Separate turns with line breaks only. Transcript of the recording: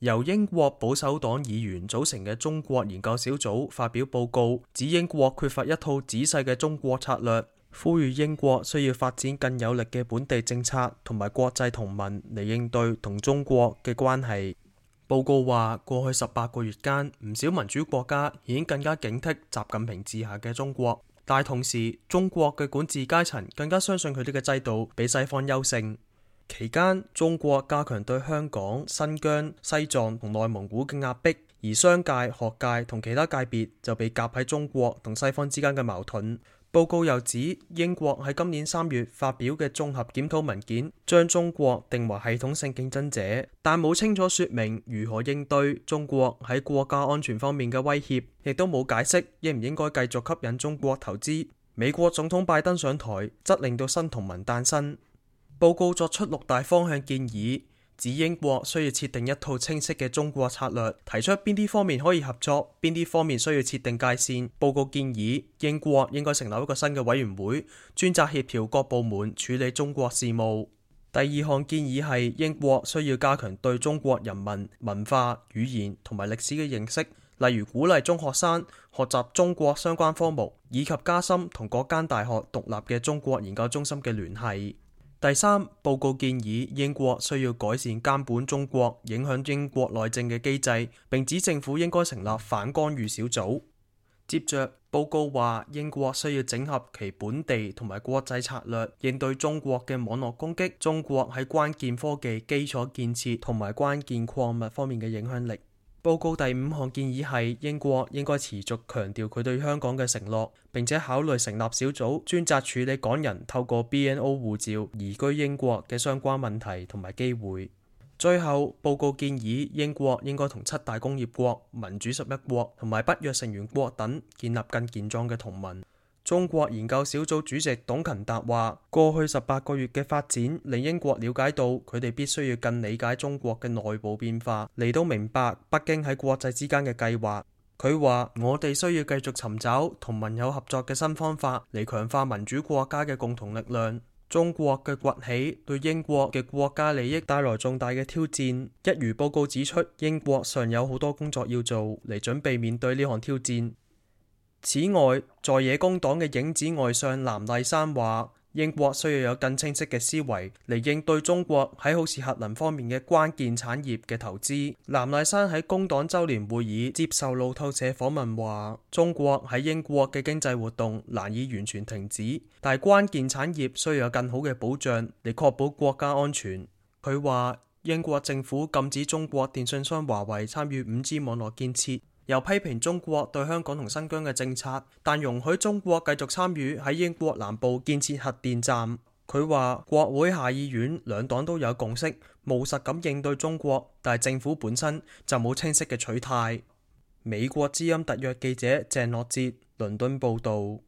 由英國保守黨議員組成嘅中國研究小組發表報告，指英國缺乏一套仔細嘅中國策略，呼籲英國需要發展更有力嘅本地政策同埋國際同盟嚟應對同中國嘅關係。報告話，過去18個月間，唔少民主國家已經更加警惕習近平治下嘅中國，但係同時，中國嘅管治階層更加相信佢哋嘅制度比西方優勝。期間，中國加強對香港、新疆、西藏同內蒙古嘅壓迫，而商界、學界同其他界別就被夾喺中國同西方之間嘅矛盾。報告又指，英國喺今年3月發表嘅綜合檢討文件，將中國定為系統性競爭者，但冇清楚說明如何應對中國喺國家安全方面嘅威脅，亦都冇解釋應唔應該繼續吸引中國投資。美國總統拜登上台，則令到新同盟誕生。報告作出6大方向建議，指英國需要設定一套清晰嘅中國策略，提出邊啲方面可以合作，邊啲方面需要設定界線。報告建議英國應該成立一個新嘅委員會，專責協調各部門處理中國事務。第2項建議係英國需要加強對中國人民、文化、語言同埋歷史嘅認識，例如鼓勵中學生學習中國相關科目，以及加深同各間大學獨立嘅中國研究中心嘅聯繫。第3，報告建議英國需要改善監管中國影響英國內政嘅機制，並指政府應該成立反干預小組。接着，報告話英國需要整合其本地同埋國際策略，應對中國嘅網絡攻擊，中國喺關鍵科技基礎建設同埋關鍵礦物方面嘅影響力。報告第5項建議係英國應該持續強調佢對香港嘅承諾，並且考慮成立小組專責處理港人透過 BNO 護照移居英國嘅相關問題同埋機會。最後，報告建議英國應該同7大工業國、民主11國同埋北約成員國等建立更健壯嘅同盟。中國研究小組主席董勤達話，過去18個月嘅發展令英國了解到佢哋必須要更理解中國嘅內部變化，嚟到明白北京喺國際之間嘅計劃。佢話，我哋需要繼續尋找同盟友合作嘅新方法嚟強化民主國家嘅共同力量。中國嘅崛起對英國嘅國家利益帶來重大嘅挑戰，一如報告指出，英國尚有好多工作要做嚟準備面對呢項挑戰。此外，在野工黨嘅影子外相藍麗珊話，英國需要有更清晰嘅思維嚟應對中國喺好似核能方面嘅關鍵產業嘅投資。藍麗珊喺工黨周年會議接受路透社訪問話，中國喺英國嘅經濟活動難以完全停止，但係關鍵產業需要有更好嘅保障嚟確保國家安全。佢話，英國政府禁止中國電信商華為參與5G 網絡建設，又批評中國對香港同新疆嘅政策，但容許中國繼續參與喺英國南部建設核電站。佢話，國會下議院兩黨都有共識，務實咁應對中國，但係政府本身就冇清晰嘅取態。美國之音特約記者鄭樂哲倫敦報導。